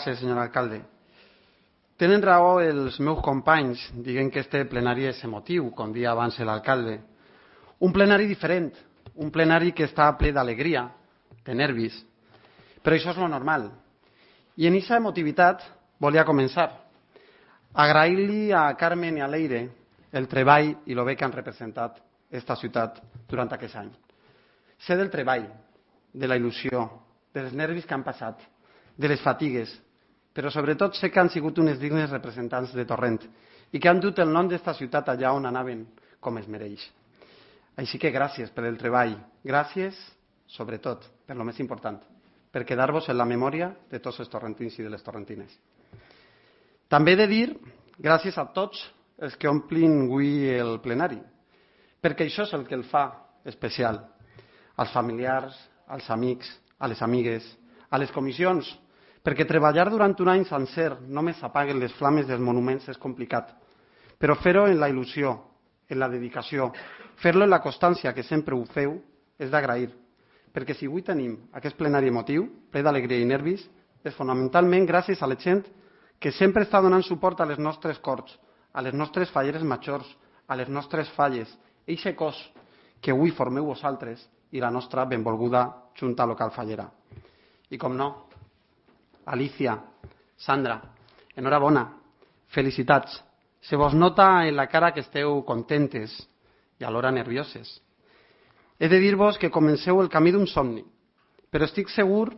Gràcies, senyor alcalde. Tenen raó els meus companys, dient que este plenari és emotiu, com dia abans l'alcalde. Un plenari diferent, un plenari que està ple d'alegria, de nervis. Però això és lo normal. I en aquesta emotivitat volia començar. Agrair-li a Carmen i a Leire el treball i el bé que han representat esta ciutat durant aquest any. Sé del treball, de la il·lusió, dels nervis que han passat, de les fatigues, però sobretot sé que han sigut unes dignes representants de Torrent i que han dut el nom d'esta ciutat allà on anaven com es mereix. Així que gràcies per el treball, gràcies, sobretot, per lo més important, per quedar-vos en la memòria de tots els torrentins i de les torrentines. També he de dir gràcies a tots els que omplin avui el plenari, perquè això és el que el fa especial. Als familiars, als amics, a les amigues, a les comissions, perquè treballar durant un any sencer només apaguen les flames dels monuments és complicat, però fer-ho en la il·lusió, en la dedicació, fer-lo en la constància que sempre ho feu, és d'agrair, perquè si avui tenim aquest plenari emotiu, ple d'alegria i nervis, és fonamentalment gràcies a la gent que sempre està donant suport a les nostres corts, a les nostres falleres majors, a les nostres falles, eixe cos que avui formeu vosaltres i la nostra benvolguda Junta Local Fallera. I com no, Alicia, Sandra, enhorabona, felicitats. Se vos nota en la cara que esteu contentes i alhora nervioses. He de dir-vos que comenceu el camí d'un somni, però estic segur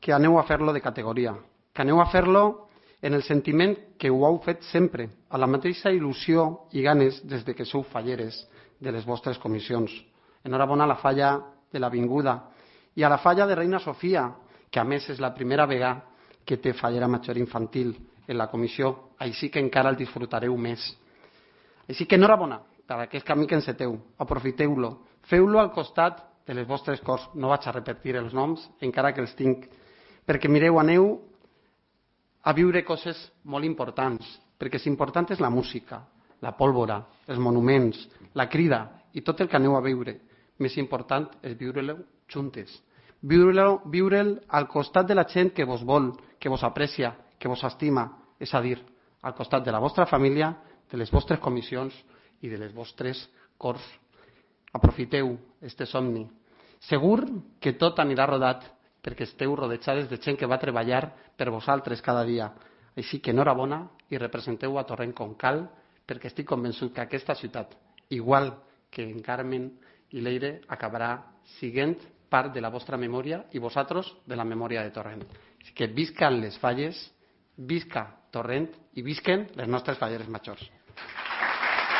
que aneu a fer-lo de categoria, que aneu a fer-lo en el sentiment que ho heu fet sempre, a la mateixa il·lusió i ganes des de que sou falleres de les vostres comissions. Enhorabona a la falla de l'Avinguda i a la falla de Reina Sofia, que a més és la primera vegada que té fallera major infantil en la comissió, així que encara el disfrutareu més. Així que enhorabona per aquest camí que enceteu, aprofiteu-lo, feu-lo al costat de les vostres cors, no vaig a repetir els noms, encara que els tinc, perquè mireu, aneu a viure coses molt importants, perquè l'important és la música, la pólvora, els monuments, la crida i tot el que aneu a veure. Més important és viure-lo juntes, viure'l al costat de la gent que vos vol, que vos aprecia, que vos estima, és a dir, al costat de la vostra família, de les vostres comissions i de les vostres corts. Aprofiteu este somni. Segur que tot anirà rodat perquè esteu rodejades de gent que va treballar per vosaltres cada dia. Així que enhorabona i representeu a Torrent com cal, perquè estic convençut que aquesta ciutat, igual que en Carmen i Leire, acabarà sent part de la vostra memòria i vosaltres de la memòria de Torrent. Així que viscan les falles, visca Torrent i visquen les nostres falleres majors.